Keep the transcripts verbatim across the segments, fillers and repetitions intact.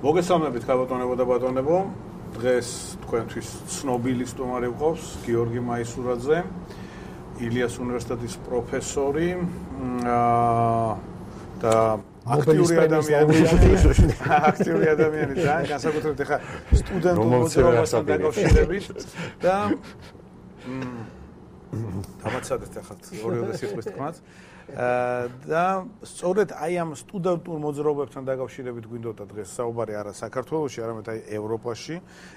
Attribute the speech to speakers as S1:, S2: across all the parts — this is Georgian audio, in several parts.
S1: მოგესალმებით ქალბატონებო და ბატონებო. დღეს თქვენთვის ცნობილი სტუმარი ვყავს გიორგი მაისურაძე, ილიას უნივერსიტეტის პროფესორი და აქტიური ადამიანი, აქტიური ადამიანი და განსაკუთრებით ახლა სტუდენტურ მოძრაობასთან დაკავშირებით და დამაცადეთ ახლა ორივე სიტყვის თქმაც. და სწორედ აი ამ სტუდენტურ მოძრაობებთან დაკავშირებით გვინდოდა დღეს საუბარი არა საქართველოში, არამედ აი ევროპაში.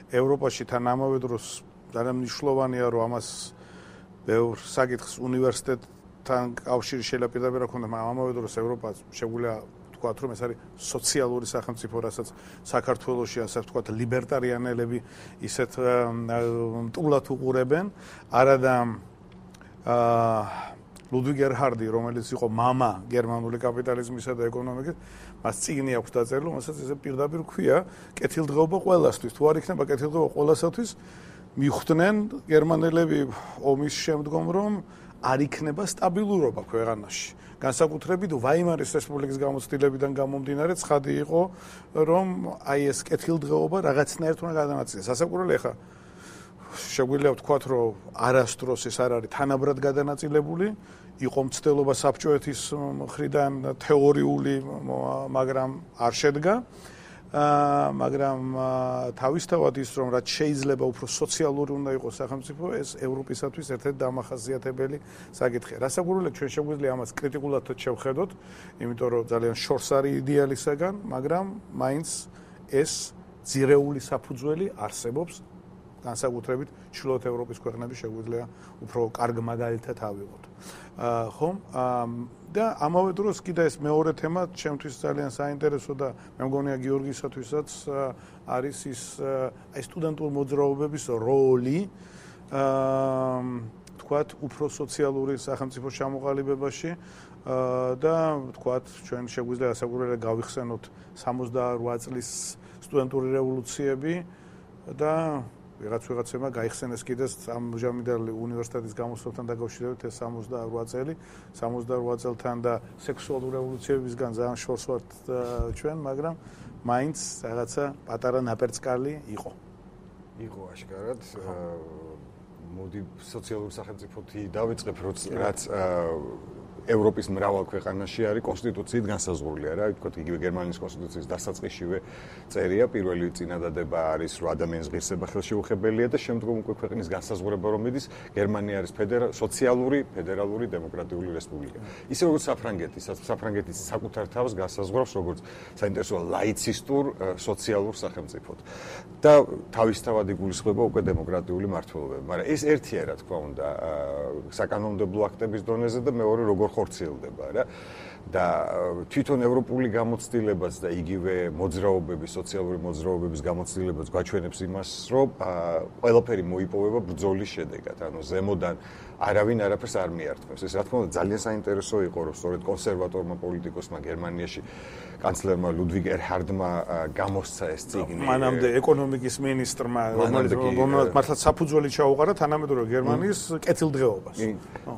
S1: ევროპაში თან ამავე დროს ძალიან მნიშვნელოვანია, რომ ამას ბევრ საკითხს უნივერსიტეტთან კავშირი შეიძლება პირდაპირ ჰქონდა, მაგრამ ამავე დროს ევროპა შეგვიძლია ვთქვათ, რომ ეს არის სოციალური სახელმწიფო, რასაც საქართველოში, ასე ვთქვათ, ლიბერტარიანელები ისეთ მტულად უყურებენ. არადა აა ლუდვიგ ერჰარდი, რომელიც იყო მამა გერმანული კაპიტალიზმისა და ეკონომიკის, მას წიგნი აქვს დაწერილი, რომელსაც ესე პირდაპირ ქვია, კეთილდღეობა ყველასთვის. თუ არ იქნება კეთილდღეობა ყველასათვის, მიხვდნენ გერმანელები ომის შემდგომ, რომ არ იქნება სტაბილურობა ქვეყანაში. განსაკუთრებით ვაიმარის რესპუბლიკის გამოცდილებიდან გამომდინარე, ცხადი იყო, რომ აი ეს კეთილდღეობა რაღაცნაირად უნდა გადანაწილდეს. ასაკურველი ახლა შეგვიძლია ვთქვათ, რომ არასდროს ეს არ არის თანაბრად გადანაწილებული, იყო მცდელობა საბჭოეთის მხრიდან თეორიული, მაგრამ არ შედგა. მაგრამ თავისთავად ის, რომ რაც შეიძლება უფრო სოციალური უნდა იყოს სახელმწიფო, ეს ევროპისათვის ერთ-ერთი დამახასიათებელი საკითხია. რასაკვირველია, ჩვენ შეგვიძლია ამას კრიტიკულად შევხედოთ, იმიტომ რომ ძალიან შორს არის იდეალისაგან, მაგრამ მაინც ეს ძირეული საფუძველი არსებობს. განსაკუთრებით ჩრდილოეთ ევროპის ქვეყნები შეგვიძლია უფრო კარგ მაგალითად ავიღოთ. აა ხომ? და ამავე დროს კიდე ეს მეორე თემა ჩემთვის ძალიან საინტერესო და მე მგონია გიორგისათვისაც არის ის აი სტუდენტურ მოძრაობების როლი აა თქვათ უფრო სოციალური სახელმწიფოს ჩამოყალიბებაში და თქვათ ჩვენ შეგვიძლია ასაკურველად გავიხსენოთ სამოცდაორ წლის სტუდენტური რევოლუციები და ვიღაც ვიღაცებმა გაიხსენეს კიდე ამჟამად უნივერსიტეტის გამოსვლასთან დაკავშირებით ეს სამოცდაორ წელი, სამოცდაორ წელთან და სექსუალური რევოლუციებისგან ძალიან შორს ვართ ჩვენ, მაგრამ მაინც რაღაცა პატარა ნაპერწკალი იყო.
S2: იყო აშკარად. მოდი სოციალური სახელმწიფოთი დავიწყებ, რაც ევროპის მრავალ ქვეყანაში არის კონსტიტუციით განსაზღვრული, არა, ვთქვათ, იგივე გერმანიის კონსტიტუციის დასაწყისშივე წერია, პირველი წინადადება არის, რომ ადამიანის ღირსება ხელშეუხებელია და შემდგომ უკვე ქვეყნის განსაზღვრება რომ მიდის, გერმანია არის სოციალური, ფედერალური, დემოკრატიული რესპუბლიკა. ისე როგორც საფრანგეთი, საფრანგეთის საკუთარ თავს განსაზღვრავს როგორც საინტერესოა ლაიცისტურ სოციალურ სახელმწიფოდ. და თავისთავად იგულისხმება უკვე დემოკრატიული მმართველობები, მაგრამ ეს ერთია, რა თქმა უნდა, საკანონმდებლო აქტების დონეზე და მეორე როგორ ხორციელდება რა და თვითონ ევროპული გამოცდილებაც და იგივე მოძრაობების, სოციალური მოძრაობების გამოცდილებაც გვაჩვენებს იმას, რომ ყველაფერი მოიპოვება ბრძოლის შედეგად, ანუ ზემოდან არავინ არაფერს არ მიართმევს. ეს რა თქმა უნდა ძალიან საინტერესო იყო, რომ სწორედ კონსერვატორმა პოლიტიკოსმა გერმანიაში კანცლერმა ლუდვიგ ერჰარდმა გამოსცა ეს წიგნი.
S1: მანამდე ეკონომიკის მინისტრმა, რომელმაც მართლაც საფუძველი ჩაუყარა თანამედროვე გერმანიის კეთილდღეობას.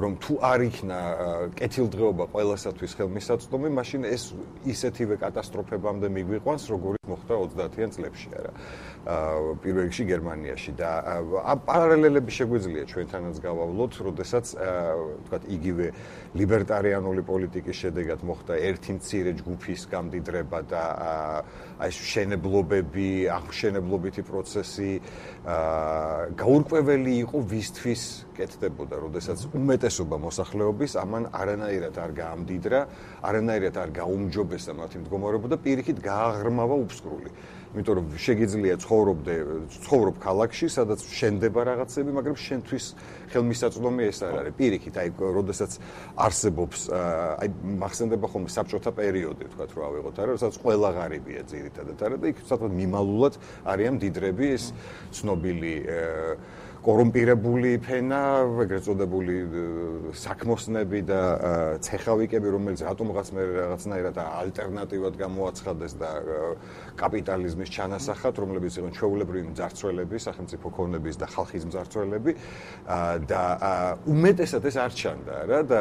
S2: რომ თუ არ იქნა კეთილდღეობა ყველასათვის ხელმისაწვდომი, მაშინ ეს ისეთივე კატასტროფებამდე მიგვიყვანს, როგორც მოხდა ოცდაათიან წლებში, არა. პირველ რიგში გერმანიაში და პარალელები შეგვიძლია ჩვენთანაც გავავლოთ, როდესაც ვთქვათ, იგივე ლიბერტარიანული პოლიტიკის შედეგად მოხდა ერთი მცირე ჯგუფის გამდიდრება და აი შენებლობები, აღმშენებლობითი პროცესი გაურკვეველი იყო ვისთვის კეთდებოდა, როდესაც უმეტესობა მოსახლეობის ამან არანაირად არ გაამდიდრა, არანაირად არ გაუმჯობესა მათი მდგომარეობა და პირიქით გააღრმავა უფსკრული. იმიტომ რომ შეგიძლია ცხოვრობდე, ცხოვრობ ქალაქში, სადაც შენდება რაღაცები, მაგრამ შენთვის ხელმისაწვდომი ეს არ არის. პირიქით, აი, როდესაც არსებობს, აი, მახსენდება ხოლმე საბჭოთა პერიოდი, ვთქვათ, რომ ავიღოთ, არა, როდესაც ყველა ღარიბია ძირითადად, არა და იქ საერთოდ მიმალულად არიან მდიდრები ეს ცნობილი კორუმპირებული ფენა, ეგრეთ წოდებული საქმოსნები და ცეხავიკები, რომელიც რატომღაც მე რაღაცნაირად ალტერნატივად გამოაცხადეს და კაპიტალიზმის ჩანასახად, რომლებიც იყვნენ ჩვეულებრივი მძარცველები, სახელმწიფო ქონების და ხალხის მძარცველები და უმეტესად ეს არ ჩანდა რა და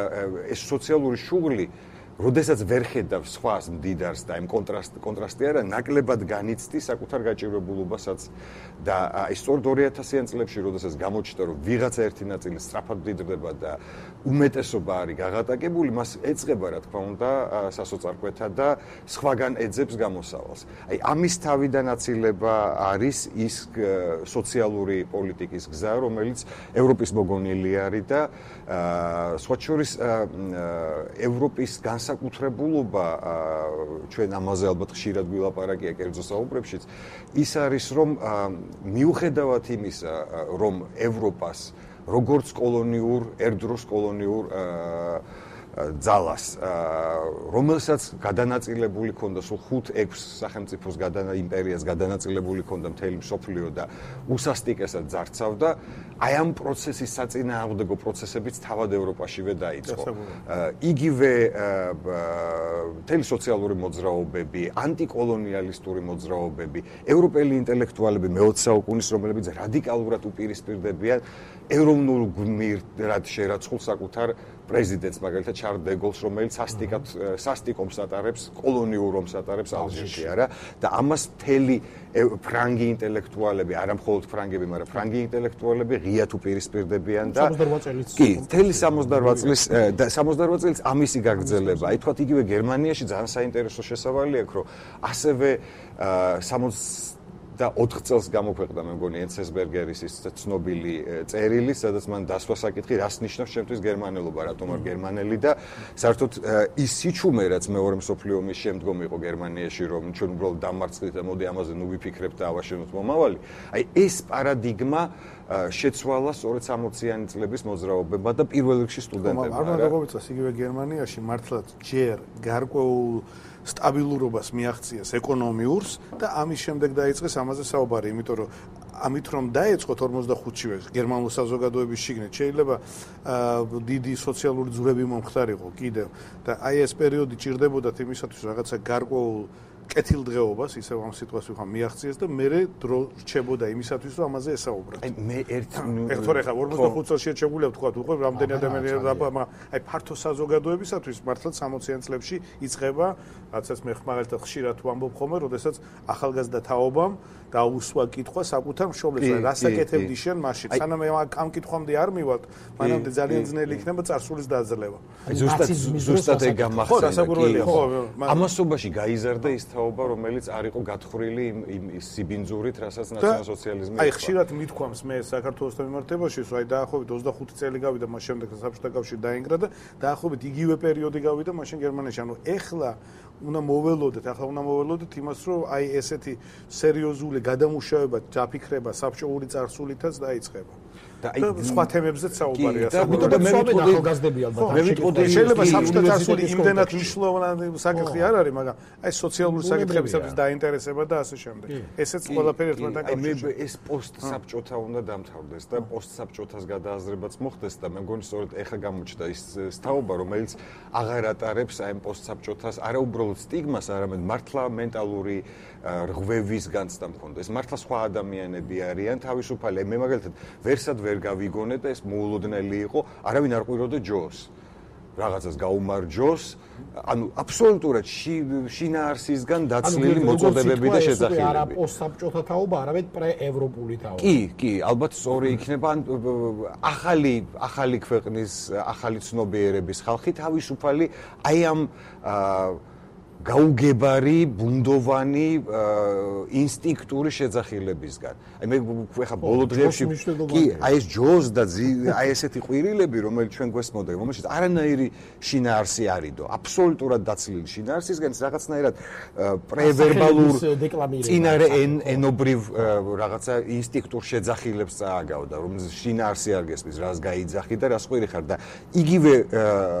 S2: ეს სოციალური შუღლი როდესაც ვერ ხედავს სხვას მდიდარს და იმ კონტრასტ კონტრასტი არა ნაკლებად განიცდის საკუთარ გაჭირვებულობასაც და აი სწორედ ორი ათასიან წლებში როდესაც გამოჩნდა რომ ვიღაცა ერთი ნაწილი სწრაფად მდიდრდება და უმეტესობა არის გაღატაკებული მას ეწყება რა თქმა უნდა სასოწარკვეთა და სხვაგან ეძებს გამოსავალს აი ამის თავიდან აცილება არის ის სოციალური პოლიტიკის გზა რომელიც ევროპის მოგონილი არის და სხვა შორის ევროპის განსაკუთრებულობა ჩვენ ამაზე ალბათ ხშირად ვილაპარაკია კერძო საუბრებშიც ის არის რომ მიუხედავად იმისა რომ ევროპას როგორც კოლონიურ ერთდროს კოლონიურ ძალას რომელსაც გადანაწილებული ქონდა სულ ხუთ ექვს სახელმწიფოს გადანა იმპერიას გადანაწილებული ქონდა მთელი მსოფლიო და უსასტიკესად ძარცავდა აი ამ პროცესის საწინააღმდეგო პროცესებიც თავად ევროპაშივე დაიწყო იგივე მთელი სოციალური მოძრაობები ანტიკოლონიალისტური მოძრაობები ევროპელი ინტელექტუალები მეოცე საუკუნის რომლებიც რადიკალურად უპირისპირდებიან ეროვნულ გმირად შერაცხულ საკუთარ პრეზიდენტს მაგალითად შარლ დე გოლს რომელიც სასტიკად სასტიკომს ატარებს კოლონიურ ომს ატარებს ალჟირში არა და ამას მთელი ფრანგი ინტელექტუალები არა მხოლოდ ფრანგები მაგრამ ფრანგი ინტელექტუალები ღიად უპირისპირდებიან და კი მთელი სამოცდაორ წლის და სამოცდაორ წელს ამისი გაგრძელება აი თქვათ იგივე გერმანიაში ძალიან საინტერესო შესავალი აქვს რომ ასევე სამოცდაოთხ და ოთხ წელს გამოქვეყნდა მე მგონი ენცესბერგერის ის ცნობილი წერილი, სადაც მან დასვა საკითხი, რას ნიშნავს ჩემთვის გერმანელობა, რატომ არ გერმანელი და საერთოდ ის სიჩუმე, რაც მეორე მსოფლიო ომის შემდგომ იყო გერმანიაში, რომ ჩვენ უბრალოდ დამარცხდით და მოდი ამაზე ნუ ვიფიქრებთ და ავაშენოთ მომავალი. აი ეს პარადიგმა შეცვალა სწორედ სამოციანი წლების მოძრაობებმა და პირველ რიგში სტუდენტებმა.
S1: არ მოგწონს იგივე გერმანიაში მართლაც ჯერ გარკვეულ სტაბილურობას მიაღწიეს ეკონომიურს და ამის შემდეგ დაიწყეს ამაზე საუბარი, იმიტომ რომ ამით რომ დაეწყოთ ორმოცდახუთშივე გერმანულ საზოგადოების შიგნით შეიძლება დიდი სოციალური ძვრები მომხდარიყო კიდევ და აი ეს პერიოდი ჭირდებოდათ იმისათვის რაღაცა გარკვეულ კეთილდღეობას ისევ ამ სიტყვას ვიხარ მიაღწიეს და მე დრო რჩებოდა იმისათვის რომ ამაზე ესაუბროთ.
S2: აი მე ერთ
S1: ერთორე ხა ორმოცდახუთ წელს შეჩეგულია თქვა უყო რამდენი ადამიანი მაგრამ აი ფართო საზოგადოებისათვის მართლაც სამოციან წლებში იწყება რაცაც მე მაგალითად ხშირად ვამბობ ხოლმე როდესაც ახალგაზრდა თაობამ დაუსვა კითხვა საკუთარ მშობლებს რასაკეთებდი შენ მაშინ სანამ ამ კითხვამდე არ მივალთ მანამდე ძალიან ძნელი იქნება წარსულის დაძლევა.
S2: აი ზუსტად ზუსტად ეგ გამახსენდა ხო ამასობაში გაიზარდა ის თაობა რომელიც არ იყო გათხრილი იმ სიბინძურით რასაც ნაციონალ-სოციალიზმი
S1: აი ხშირად მithქვამს მე საქართველოს მიმართებაში რომ აი დაახლოებით ოცდახუთი წელი გავიდა მას შემდეგ საბჭოთა კავშირი დაინგრა და დაახლოებით იგივე პერიოდი გავიდა მაშინ გერმანიაში ანუ ეხლა უნდა მოველოდეთ ახლა უნდა მოველოდეთ იმას რომ აი ესეთი სერიოზული გადამუშავება დაფიქრება საბჭოური წარსულითაც დაიწყება და აი სხვა თემებზეც საუბარია
S3: და მე ვიტყოდი ახალგაზრდები ალბათ
S2: მე ვიტყოდი
S1: შეიძლება საბჭოთა წარსული იმდენად მნიშვნელოვანი საკითხი არ არის მაგრამ აი სოციალური საკითხებისათვის დაინტერესება და ასე შემდეგ ესეც ყველაფერი ერთმანეთთან
S2: კავშირში აი მე ეს პოსტსაბჭოთა უნდა დამთავრდეს და პოსტსაბჭოთას გადააზრებაც მოხდეს და მე მგონი სწორედ ეხა გამოჩნდა ის თაობა რომელიც აღარ ატარებს აი პოსტსაბჭოთას არა უბრალოდ სტიგმას არამედ მართლა მენტალური რღვევის განცდა მქონდა ეს მართლა სხვა ადამიანები არიან თავისუფალი მე მაგალითად ვერსად ვერ გავიგონე და ეს მოულოდნელი იყო არავინ არ ყვიროდა ჯოს რაღაცას გაუმარჯოს ანუ აბსოლუტურად შინაარსისგან დაცლილი მოწოდებები და შეძახილები
S3: არა პოსტსაბჭოთა თაობა არამედ პრეევროპული თაობა
S2: კი კი ალბათ სწორი იქნება ან ახალი ახალი ქვეყნის ახალი ცნობიერების ხალხი თავისუფალი აი ამ გაუგებარი, ბუნდოვანი ინსტინქტური შეძახილებისგან. აი მე ხა ბოლო დღეებში კი აი ეს ჯოს და აი ესეთი ყვირილები, რომელიც ჩვენ გვესმოდა, რომელშიც არანაირი შინაარსი არიდო, აბსოლუტურად დაცლილი შინაარსისგან რაღაცნაირად პრევერბალურ წინარე ენობრივ რაღაცა ინსტინქტურ შეძახილებს წააგავდა, რომელიც შინაარსი არ გესმის, რას გაიძახი და რას ყვირი ხარ და იგივე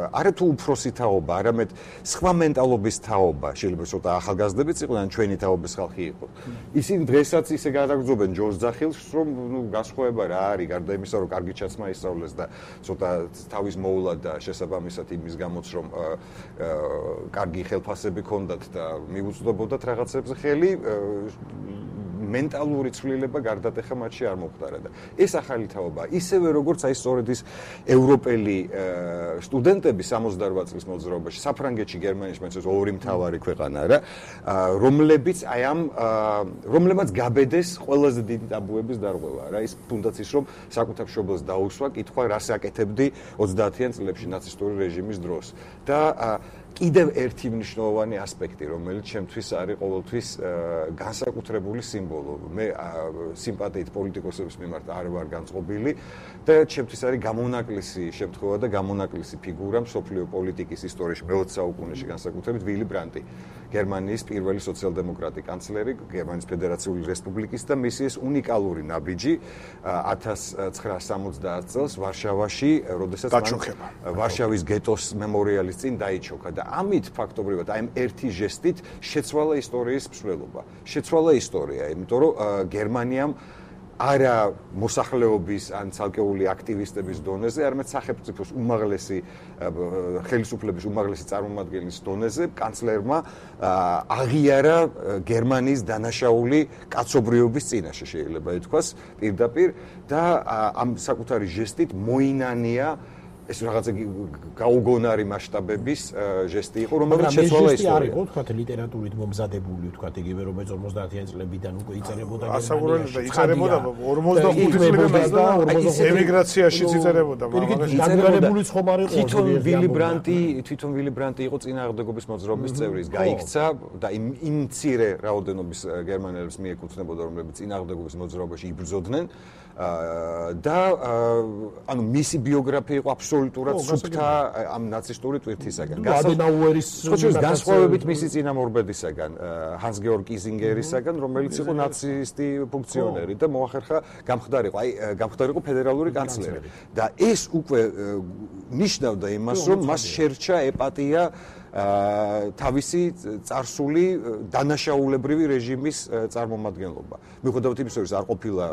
S2: არა თუ უფროსი თაობა, არამედ სხვა მენტალობის თაობა შეიძლება ცოტა ახალგაზრდებიც იყვნენ, ჩვენი თაობის ხალხი იყო. ისინი დღესაც ისე გადაგრძობენ ჯოს ძახილს, რომ ნუ გასხოვება რა არის, გარდა იმისა, რომ კარგი ჩაცმა ისწავლეს და ცოტა თავის მოვლა და შესაბამისად იმის გამოც, რომ კარგი ხელფასები ჰქონდათ და მიუწვდებოდათ რაღაცებზე ხელი, მენტალური ცვლილება გარდატეხა მათში არ მოხდარა და ეს ახალი თაობა ისევე როგორც აი სწორედ ის ევროპელი სტუდენტები სამოცდაორ წლის მოძრაობაში საფრანგეთში გერმანიაში მეც ორი მთავარი ქვეყანა რა რომლებიც აი ამ რომლებაც გაბედეს ყველაზე დიდი ტაბუების დარღვევა რა ის თუნდაც ის რომ საკუთარ მშობელს დაუსვა კითხვა რას აკეთებდი ოცდაათიან წლებში ნაცისტური რეჟიმის დროს და კიდევ ერთი მნიშვნელოვანი ასპექტი, რომელიც ჩემთვის არის ყოველთვის განსაკუთრებული სიმბოლო. მე სიმპათიით პოლიტიკოსების მიმართ არ ვარ განწყობილი და ჩემთვის არის გამონაკლისი შემთხვევა და გამონაკლისი ფიგურა მსოფლიო პოლიტიკის ისტორიაში მეოცე საუკუნეში განსაკუთრებით ვილი ბრანტი, გერმანიის პირველი სოციალ-დემოკრატი კანცლერი, გერმანიის ფედერაციული რესპუბლიკის და მისი ეს უნიკალური ნაბიჯი ათას ცხრაასა სამოცდაათ წელს ვარშავაში, როდესაც ვარშავის გეტოს მემორიალის წინ დაიჩოქა და ამით ფაქტობრივად აი ამ ერთი ჟესტით შეცვალა ისტორიის მსვლელობა. შეცვალა ისტორია, იმიტომ რომ გერმანიამ არა მოსახლეობის ან ცალკეული აქტივისტების დონეზე, არამედ სახელმწიფოს უმაღლესი ხელისუფლების უმაღლესი წარმომადგენლის დონეზე კანცლერმა აღიარა გერმანიის დანაშაული კაცობრიობის წინაშე შეიძლება ითქვას პირდაპირ და ამ საკუთარი ჟესტით მოინანია ეს რაღაცა გაუგონარი მასშტაბების ჟესტი იყო, რომელიც შეცვალა ისტორია.
S3: არის, თქვა ლიტერატურით მომზადებული, თქვა იგივე რომელიც ორმოცდაათიან წლებიდან უკვე იწერებოდა
S1: გერმანიაში. ასაკურებდა, იწერებოდა ორმოცდახუთი წლებიდან და ემიგრაციაშიც იწერებოდა.
S3: დაგრანებული ხომ არის
S2: თვითონ ვილი ბრანტი, თვითონ ვილი ბრანტი იყო წინააღმდეგობის მოძრაობის წევრი, ის გაიქცა და იმ იმ მცირე რაოდენობის გერმანელებს მიეკუთვნებოდა, რომლებიც წინააღმდეგობის მოძრაობაში იბრძოდნენ. და ანუ მისი ბიოგრაფია იყო აბსოლუტურად სუფთა ამ ნაცისტური ტვირთისაგან.
S3: ადენაუერის
S2: განსხვავებით მისი წინამორბედისაგან, ჰანს გეორგ კიზინგერისაგან, რომელიც იყო ნაცისტი ფუნქციონერი და მოახერხა გამხდარიყო, აი გამხდარიყო ფედერალური კანცლერი. და ეს უკვე ნიშნავდა იმას, რომ მას შერჩა ეპატია თავისი წარსული დანაშაულებრივი რეჟიმის წარმომადგენლობა. მიუხედავად იმისა, რომ არ ყოფილა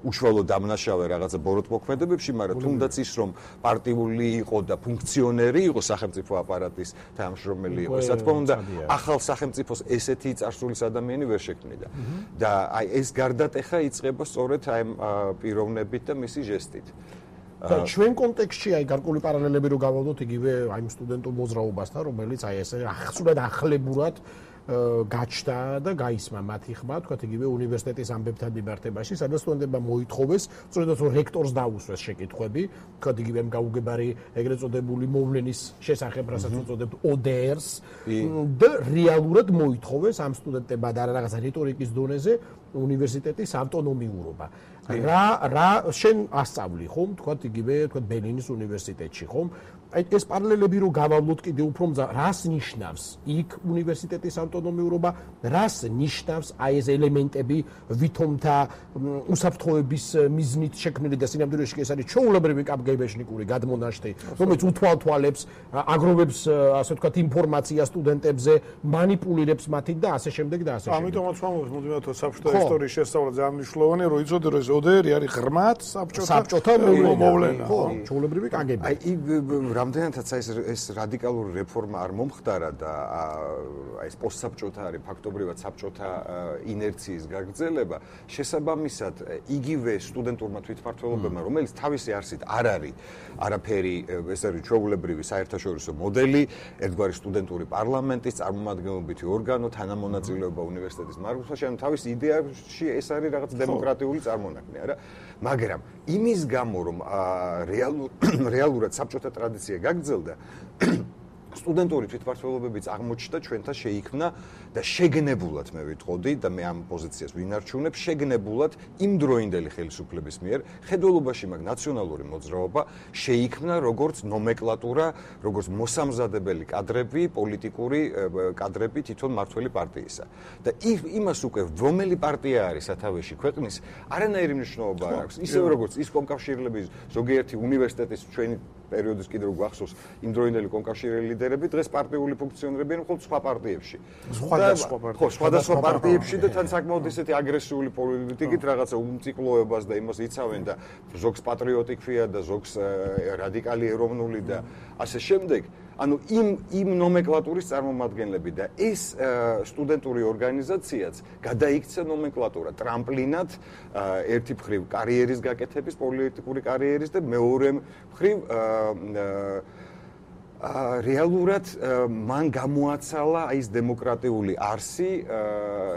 S2: უშუალო დამნაშავე რაღაცა ბოროტმოქმედებებში, მაგრამ თუნდაც ის, რომ პარტიული იყო და ფუნქციონერი იყო სახელმწიფო აპარატის თანამშრომელი იყო, რა თქმა უნდა, ახალ სახელმწიფოს ესეთი წარსულის ადამიანი ვერ შექმნიდა. და აი ეს გარდატეხა იწყება სწორედ აი ამ პიროვნებით და მისი ჟესტით.
S3: და ჩვენ კონტექსტში აი გარკვეული პარალელები რო გავავდოთ იგივე აი იმ სტუდენტურ მოძრაობასთან, რომელიც აი ესე ახსურად ახლებურად გაჩნდა და გაისმა მათი ხმა, თქვა იგივე უნივერსიტეტის ამბებთან მიმართებაში, სადაც სტუდენტებმა მოითხოვეს, სწორედ რომ რექტორს დაუსვეს შეკითხვები, თქვა იგივე ამ გაუგებარი ეგრეთ წოდებული მოვლენის შესახებ, რასაც უწოდებთ O D R-ს და რეალურად მოითხოვეს ამ სტუდენტებმა და რაღაცა რიტორიკის დონეზე უნივერსიტეტის ავტონომიურობა. რა რა შენ ასწავლი ხომ, თქვა იგივე, თქვა ბერლინის უნივერსიტეტში ხომ? აი ეს პარალელები რო გავავლოთ კიდე უფრო მზა, რას ნიშნავს იქ უნივერსიტეტის ავტონომიურობა, რას ნიშნავს აი ეს ელემენტები ვითომთა უსაფრთხოების მიზნით შექმნილი და სინამდვილეში ეს არის ჩვეულებრივი კაპგებეშნიკური გადმონაშთი, რომელიც უთვალთვალებს, აგროვებს, ასე ვთქვათ, ინფორმაცია სტუდენტებზე, მანიპულირებს მათით და ასე შემდეგ და ასე შემდეგ.
S1: ამიტომაც ვამბობ, მოდივათო საბჭოთა ისტორიის შესწავლა ძალიან მნიშვნელოვანია, რომ იცოდე რომ ეს O D R არის ღრმად საბჭოთა
S3: საბჭოთა მოვლენა, ხო, ჩვეულებრივი კაგები.
S2: აი რამდენადაც ეს ეს რადიკალური რეფორმა არ მომხდარა და აი ეს პოსტსაბჭოთა არის ფაქტობრივად საბჭოთა ინერციის გაგრძელება, შესაბამისად იგივე სტუდენტურმა თვითმმართველობებმა, რომელიც თავისი არსით არ არის არაფერი, ეს არის ჩვეულებრივი საერთაშორისო მოდელი, ერთგვარი სტუდენტური პარლამენტის წარმომადგენლობითი ორგანო, თანამონაწილეობა უნივერსიტეტის მართვაში, ანუ თავის იდეაში ეს არის რაღაც დემოკრატიული წარმონაქმნი, არა? მაგრამ იმის გამო, რომ რეალურად საბჭოთა ტრადიცია გაგრძელდა, სტუდენტური თვითმმართველობებიც აღმოჩნდა ჩვენთან შეიქმნა და შეგნებულად მე ვიტყოდი და მე ამ პოზიციას ვინარჩუნებ, შეგნებულად იმ დროინდელი ხელისუფლების მიერ ხედველობაში მაგ ნაციონალური მოძრაობა შეიქმნა როგორც ნომენკლატურა, როგორც მოსამზადებელი კადრები, პოლიტიკური კადრები თვითონ მმართველი პარტიისა. და იმას უკვე რომელი პარტია არის სათავეში ქვეყნის, არანაირი მნიშვნელობა არ აქვს. ისევე როგორც ის კომკავშირლების ზოგიერთი უნივერსიტეტის ჩვენი პერიოდის კიდევ გვახსოვს იმ დროინდელი კომკავშირელი ლიდერები დღეს პარტიული ფუნქციონერები են მხოლოდ სხვა პარტიებში.
S1: სხვადასხვა პარტიებში.
S2: ხო, სხვადასხვა პარტიებში და თან საკმაოდ ისეთი აგრესიული პოლიტიკით რაღაცა უმციკლოებას და იმას იცავენ და ზოგს პატრიოტი ქვია და ზოგს რადიკალი ეროვნული და ასე შემდეგ. ანუ იმ იმ ნომენკლატურის წარმომადგენლები და ეს სტუდენტური ორგანიზაციაც გადაიქცა ნომენკლატურა ტრამპლინად ერთი მხრივ კარიერის გაკეთების, პოლიტიკური კარიერის და მეორე მხრივ რეალურად მან გამოაცალა აი ეს დემოკრატიული არსი,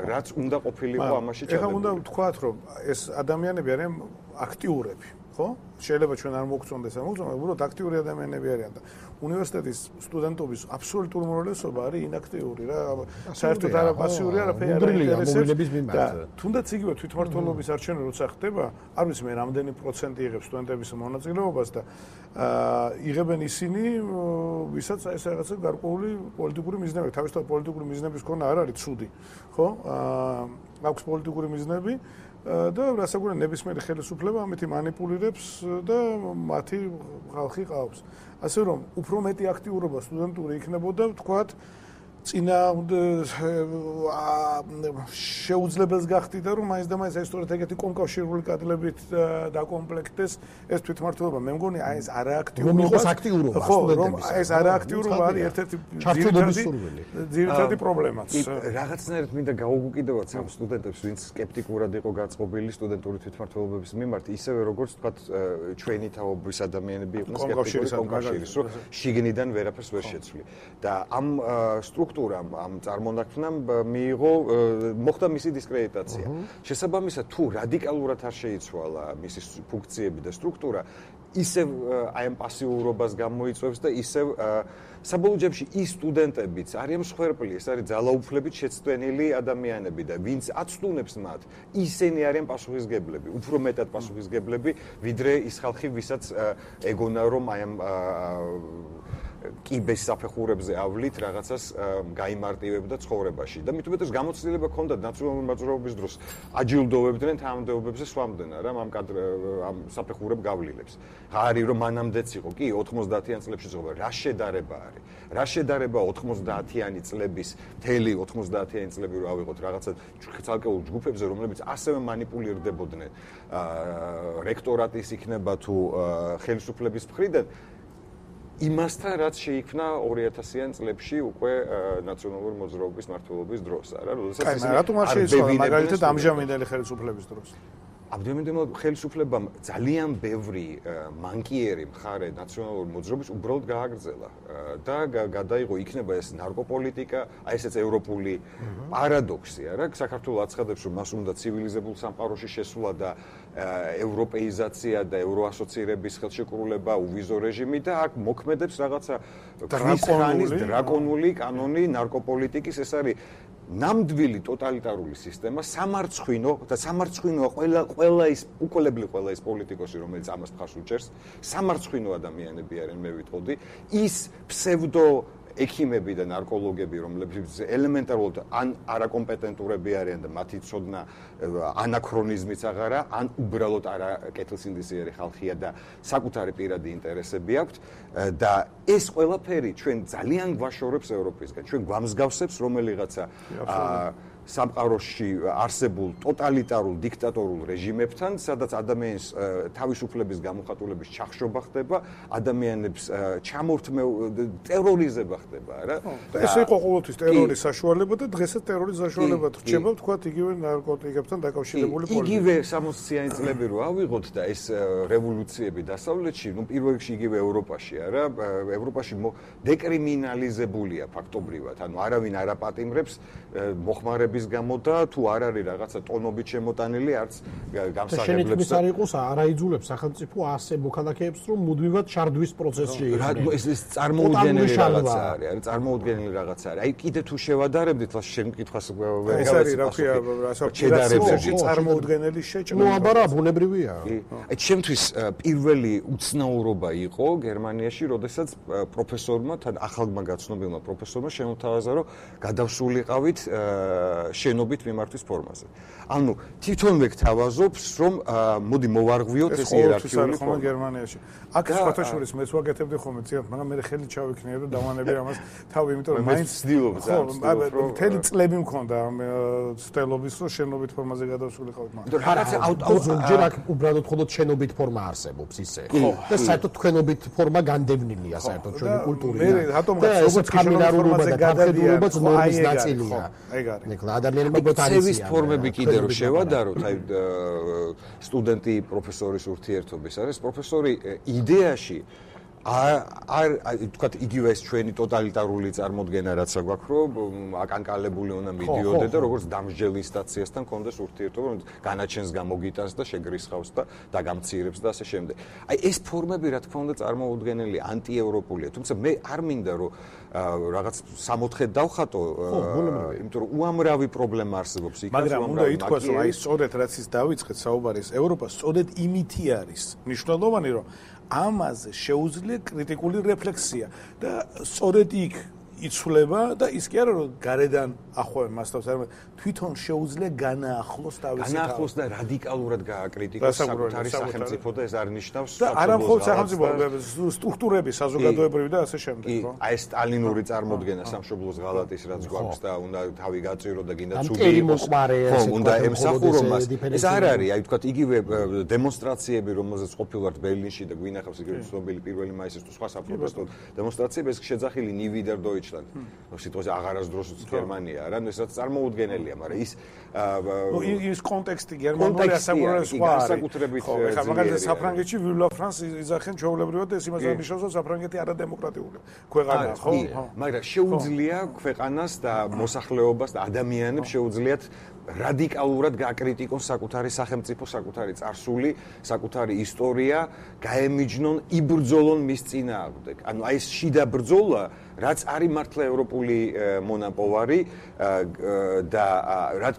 S2: რაც უნდა ყოფილიყო ამაში ჩადებული.
S1: ეხლა უნდა ვთქვათ, რომ ეს ადამიანები არიან აქტიურები, ხო? შეიძლება ჩვენ არ მოგწონდეს, არ მოგწონდეს, უბრალოდ აქტიური ადამიანები არიან და უნივერსიტეტის სტუდენტობის აბსოლუტური უმრავლესობა არის ინაქტიური რა. საერთოდ არა პასიური, არაფერი არ ინტერესებს. და თუნდაც იგივე თვითმმართველობის არჩევანი როცა ხდება, არ ვიცი მე რამდენი პროცენტი იღებს სტუდენტების მონაწილეობას და იღებენ ისინი, ვისაც ეს რაღაცა გარკვეული პოლიტიკური მიზნები, თავისთავად პოლიტიკური მიზნების ქონა არ არის ცუდი, ხო? აქვს პოლიტიკური მიზნები და რასაკვირველია ნებისმიერი ხელისუფლება ამითი манипуლირებს და მათი ხალხი ყავს. ასე რომ უფრო მეტი აქტიურობა სტუდენტური იქნებოდა, ვთქვათ, წინა შეუძლებელს გახდიდა, რომ მაინც და მაინც ეს სწორედ ეგეთი კონკავშირული კადრებით დაკომპლექტდეს ეს თვითმმართველობა. მე მგონი აი ეს არააქტიურობა,
S3: რომ იყოს აქტიურობა სტუდენტების.
S1: ეს არააქტიურობა არის ერთ-ერთი ძირითადი პრობლემაც.
S2: რაღაცნაირად მინდა გაუგუკიდოთ ამ სტუდენტებს, ვინც სკეპტიკურად იყო გაწყობილი სტუდენტური თვითმმართველობის მიმართ, ისევე როგორც თქვათ ჩვენი თაობის ადამიანები იყვნენ სკეპტიკური კონკავშირის, რომ შიგნიდან ვერაფერს ვერ შეცვლი. და ამ სტრუქტურამ, ამ წარმონაქმნამ მიიღო, მოხდა მისი დისკრედიტაცია. შესაბამისად, თუ რადიკალურად არ შეიცვალა მისი ფუნქციები და სტრუქტურა, ისევ აი ამ პასიურობას გამოიწვევს და ისევ საბოლოო ჯამში ის სტუდენტებიც არიან მსხვერპლი, ეს არის ძალაუფლებით შეცდენილი ადამიანები და ვინც აცდუნებს მათ, ისინი არიან პასუხისგებლები, უფრო მეტად პასუხისგებლები, ვიდრე ის ხალხი, ვისაც ეგონა რომ აი ამ კიბეს საფეხურებზე ავლით რაღაცას გაიმარტივებდა ცხოვრებაში და მით უმეტეს გამოცდილება ჰქონდა ნაციონალური მოძრაობის დროს აჯილდოვებდნენ თანამდებობებზე სვამდნენ არა ამ კადრ ამ საფეხურებ გავლილებს. არის რომ მანამდეც იყო კი ოთხმოცდაათიან წლებში ზღობა რა შედარება არის. რა შედარება ოთხმოცდაათიანი წლების მთელი ოთხმოცდაათიანი წლები რო ავიღოთ რაღაცა ცალკეულ ჯგუფებზე რომლებიც ასევე манипуლირდებოდნენ რექტორატის იქნება თუ ხელისუფლების მხრიდან იმასთან რაც შეიქმნა ორი ათასიან წლებში უკვე ნაციონალური მოძრაობის მმართველობის დროს, არა? როდესაც
S1: ისინი რატომ არ შეიცვალა მაგალითად ამჟამინდელი ხელისუფლების დროს?
S2: ამჟამინდელი ხელისუფლებამ ძალიან ბევრი მანკიერი მხარე ნაციონალური მოძრაობის უბრალოდ გააგრძელა და გადაიღო იქნება ეს ნარკოპოლიტიკა, აი ესეც ევროპული პარადოქსი, არა? საქართველოს აცხადებს რომ მას უნდა ცივილიზებულ სამყაროში შესვლა და ევროპეიზაცია და ევროასოცირების ხელშეკრულება, უვიზო რეჟიმი და აქ მოქმედებს რაღაცა დრაკონული დრაკონული კანონი ნარკოპოლიტიკის, ეს არის ნამდვილი ტოტალიტარული სისტემა, სამარცხვინო და სამარცხვინოა ყველა ყველა ის უკოლებლი ყველა ის პოლიტიკოსი, რომელიც ამას მხარს უჭერს, სამარცხვინო ადამიანები არიან, მე ვიტყოდი, ის ფსევდო ექიმები და ნარკოლოგები, რომლებიც ელემენტარულად ან არაკომპეტენტურები არიან და მათი ცოდნა ანაქრონიზმიც აღარა, ან უბრალოდ არა კეთილსინდისიერი ხალხია და საკუთარი პირადი ინტერესები აქვთ და ეს ყველაფერი ჩვენ ძალიან გვაშორებს ევროპისგან. ჩვენ გვამსგავსებს რომელიღაცა სამყაროში არსებულ ტოტალიტარულ დიქტატორულ რეჟიმებთან, სადაც ადამიანის თავისუფლების გამოხატულების ჩახშობა ხდება, ადამიანებს ჩამორთმე ტერორიზება ხდება, რა.
S1: ეს იყო ყოველთვის ტერორის საშუალება და დღესაც ტერორის საშუალება რჩება, თქვათ, იგივე ნარკოტიკებთან დაკავშირებული პოლიტიკა.
S2: იგივე სამოციანი წლები რო ავიღოთ და ეს რევოლუციები დასავლეთში, ну პირველ რიგში იგივე ევროპაში, არა? ევროპაში დეკრიმინალიზებულია ფაქტობრივად, ანუ არავინ არ აპატიმრებს მოხმარების გამო და თუ არ არის რაღაცა ტონობით შემოტანილი არც გამსაღებლებს
S3: და არ იყოს არაიძულებს სახელმწიფო ასე მოქალაქეებს რომ მუდმივად შარდვის პროცესში
S2: იყოს. ეს ეს წარმოუდგენელი რაღაცა არის, არის წარმოუდგენელი რაღაცა არის. აი კიდე თუ შევადარებდით, შენ კითხვას ვერ
S1: გავეცი. ეს არის რა ქვია, რასაკვირველია, წარმოუდგენელი შეჭრა.
S3: ნუ აბარა ბუნებრივია.
S2: აი ჩემთვის პირველი უცნაურობა იყო გერმანიაში, როდესაც პროფესორმა, თან ახალმა გაცნობილმა პროფესორმა შემოთავაზა, რომ გადავსულიყავით შენობით მიმართვის ფორმაზე. ანუ თვითონვე გთავაზობს, რომ მოდი მოვარღვიოთ ეს იერარქიული
S1: ფორმა გერმანიაში. აქ სხვათა შორის მეც ვაკეთებდი ხოლმე ძიათ, მაგრამ მე ხელი ჩავიქნიე და დავანები ამას თავი, იმიტომ რომ მაინც
S2: ვცდილობ ზამთრობით,
S1: რომ მთელი წლები მქონდა ამ ცდელობის, რომ შენობით ფორმაზე გადავსულიყავით
S2: მაგრამ. იმიტომ რაღაცა
S3: აუტოზოგჯერ აქ უბრალოდ მხოლოდ შენობით ფორმა არსებობს ისე. და საერთოდ თქვენობით ფორმა განდევნილია საერთოდ ჩვენი კულტურიდან.
S1: მე რატომ როგორც
S3: კამერალურობა და გამხედველობაც ნორმის ნაწილია.
S1: ეგ არის.
S3: ნექლა ადამიანებმა
S2: ბოტანიკის ფორმები კიდე რომ შევადაროთ, აი სტუდენტი პროფესორის ურთიერთობის არის პროფესორი იდეაში არ არ თქვა იგივე ეს ჩვენი ტოტალიტარული წარმოდგენა რაც აგვაქვს რომ აკანკალებული უნდა მიდიოდე და როგორც დამსჯელ ინსტანციასთან კონდეს ურთიერთობა რომ განაჩენს გამოგიტანს და შეგრისხავს და დაგამცირებს და ასე შემდეგ. აი ეს ფორმები რა თქმა უნდა წარმოუდგენელი ანტიევროპულია, თუმცა მე არ მინდა რომ რაღაც სამოთხედ დავხატო, იმიტომ რომ უამრავი პრობლემა არსებობს იქ.
S1: მაგრამ უნდა ითქვას რომ აი სწორედ რაც ის დავიწყეთ საუბარი, ევროპა სწორედ იმითი არის მნიშვნელოვანი რომ ამაზე შეუძლია კრიტიკული რეფლექსია და სწორედ იქ იცვლება და ის კი არა რომ გარედან ახვევენ მასთავს, არამედ თვითონ შეუძლია განაახლოს თავისი თავი.
S2: განაახლოს და რადიკალურად გააკრიტიკოს საკუთარი სახელმწიფო და ეს არ ნიშნავს
S1: და არა მხოლოდ სახელმწიფო სტრუქტურები, საზოგადოებრივი და ასე შემდეგ, ხო?
S2: აი ეს სტალინური წარმოდგენა სამშობლოს ღალატის რაც გვაქვს და უნდა თავი გაწირო და გინდა ცუდი იყოს. ხო, უნდა ემსახურო მას. ეს არ არის, აი თქვა იგივე დემონსტრაციები, რომელზეც ყოფილვართ ბერლინში და გვინახავს იგივე ცნობილი პირველი მაისის თუ სხვა საპროტესტო დემონსტრაციები, ეს შეძახილი ნი ვიდერ დოიჩლანდ. სიტყვაზე აღარასდროს გერმანია არა, ეს რაც წარმოუდგენელია, მაგრამ ის
S1: ის კონტექსტი გერმანული ასაკურებელი სხვა არის. ხო, ეხლა მაგალითად საფრანგეთში ვილა ფრანს იძახენ ჩვეულებრივად ეს იმას აღნიშნავს, რომ საფრანგეთი არადემოკრატიული ქვეყანაა, ხო?
S2: მაგრამ შეუძლია ქვეყანას და მოსახლეობას და ადამიანებს შეუძლიათ რადიკალურად გააკრიტიკონ საკუთარი სახელმწიფო, საკუთარი წარსული, საკუთარი ისტორია, გაემიჯნონ, იბრძოლონ მის წინააღმდეგ. ანუ აი ეს შიდა ბრძოლა, რაც არის მართლა ევროპული მონაპოვარი და რაც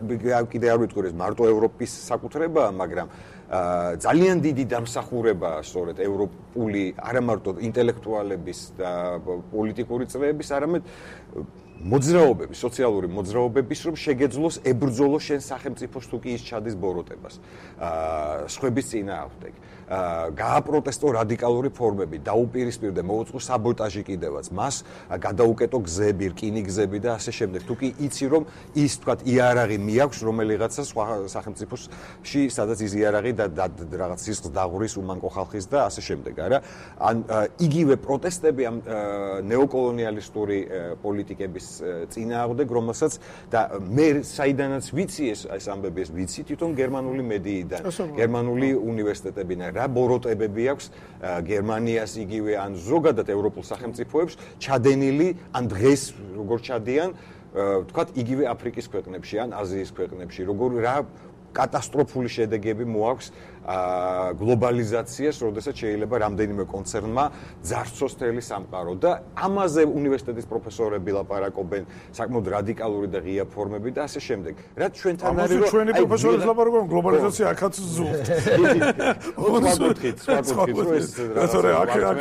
S2: კიდე არ ვიტყვი, ეს მარტო ევროპის საკუთრებაა, მაგრამ ძალიან დიდი დამსახურებაა სწორედ ევროპული არა მარტო ინტელექტუალების და პოლიტიკური წრეების, არამედ მოძრაობების, სოციალური მოძრაობების, რომ შეგეძლოს ებრძოლოს შენ სახელმწიფოს თუ კი ის ჩადის ბოროტებას. აა სხვების წინააღმდეგ. აა გააპროტესტო რადიკალური ფორმები, დაუპირისპირდე, მოუწყო საბოტაჟი კიდევაც, მას გადაუკეტო გზები, რკინიგზები და ასე შემდეგ. თუ კი იცი რომ ის თქვათ იარაღი მიაქვს რომელიღაცა სხვა სახელმწიფოში, სადაც ის იარაღი და რაღაც სისხლს დაღურის უმანკო ხალხის და ასე შემდეგ, არა? ან იგივე პროტესტები ამ ნეოკოლონიალისტური პოლიტიკების წინააღმდეგ, რომელსაც და მე საიდანაც ვიცი ეს ეს ამბები ეს ვიცი თვითონ გერმანული მედიიდან, გერმანული უნივერსიტეტებიდან რა ბოროტებები აქვს გერმანიას იგივე ან ზოგადად ევროპულ სახელმწიფოებს ჩადენილი ან დღეს როგორ ჩადიან თქვათ იგივე აფრიკის ქვეყნებში ან აზიის ქვეყნებში, როგორ რა კატასტროფული შედეგები მოაქვს გლობალიზაციას, როდესაც შეიძლება რამდენიმე კონცერნმა ძარცოს თელი სამყარო და ამაზე უნივერსიტეტის პროფესორები ლაპარაკობენ, საკმაოდ რადიკალური და ღია ფორმები და ასე შემდეგ. რაც ჩვენთან არის რომ
S1: ჩვენი პროფესორები ლაპარაკობენ გლობალიზაცია აქაც ზუსტ.
S2: ვაკუთრით, ვაკუთრით რომ ეს
S1: რასორე აქ აქ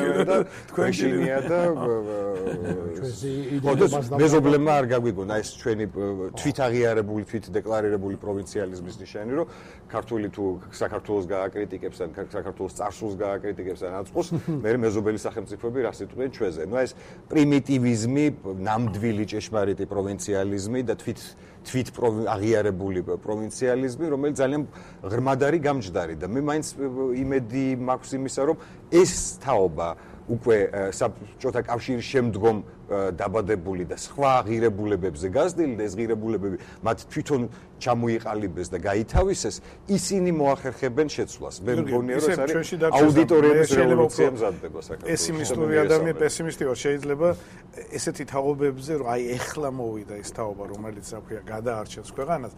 S2: თქვენ შინია და მეზობლებმა არ გაგვიგონა ეს ჩვენი თვით აღიარებული, თვით დეკლარირებული პროვინციალიზმის ნიშანი, რომ ქართული თუ საქართველოს გააკრიტიკებს ან საქართველოს წარსულს გააკრიტიკებს ან აწყოს, მე მეზობელი სახელმწიფოები რას იტყვიან ჩვენზე. ნუ ეს პრიმიტივიზმი, ნამდვილი ჭეშმარიტი პროვინციალიზმი და თვით თვით აღიარებული პროვინციალიზმი, რომელიც ძალიან ღრმად არის გამჯდარი და მე მაინც იმედი მაქვს იმისა, რომ ეს თაობა უკვე საბჭოთა კავშირის შემდგომ დაბადებული და სხვა ღირებულებებზე გაზრდილი და ეს ღირებულებები მათ თვითონ ჩამოიყალიბეს და გაითავისეს, ისინი მოახერხებენ შეცვლას. მე მგონია რომ ეს არის აუდიტორიების რევოლუცია მზადდება საქართველოში.
S1: პესიმისტური ადამიანი პესიმისტი ვარ, შეიძლება ესეთი თაობებზე რომ აი ეხლა მოვიდა ეს თაობა, რომელიც რა ქვია, გადაარჩენს ქვეყანას,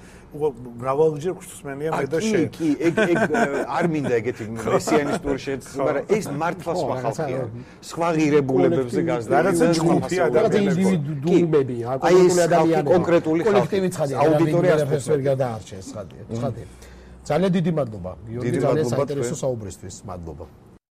S1: მრავალჯერ გვსმენია მე და შენ.
S2: კი, ეგ ეგ არ მინდა ეგეთი მესიანისტური შეცვლა, მაგრამ ეს მართლა სხვა ხალხია. სხვა ღირებულებებზე გაზრდილი.
S1: რაღაცა ჯგუფი ადამიანები,
S3: ინდივიდუუმებია, კონკრეტული ადამიანები,
S2: კონკრეტული
S3: კოლექტივი ცხადია, აუდიტორია ვერ გადაარჩენს, ცხადია, ცხადია. ძალიან დიდი მადლობა, გიორგი, ძალიან საინტერესო საუბრისთვის, მადლობა.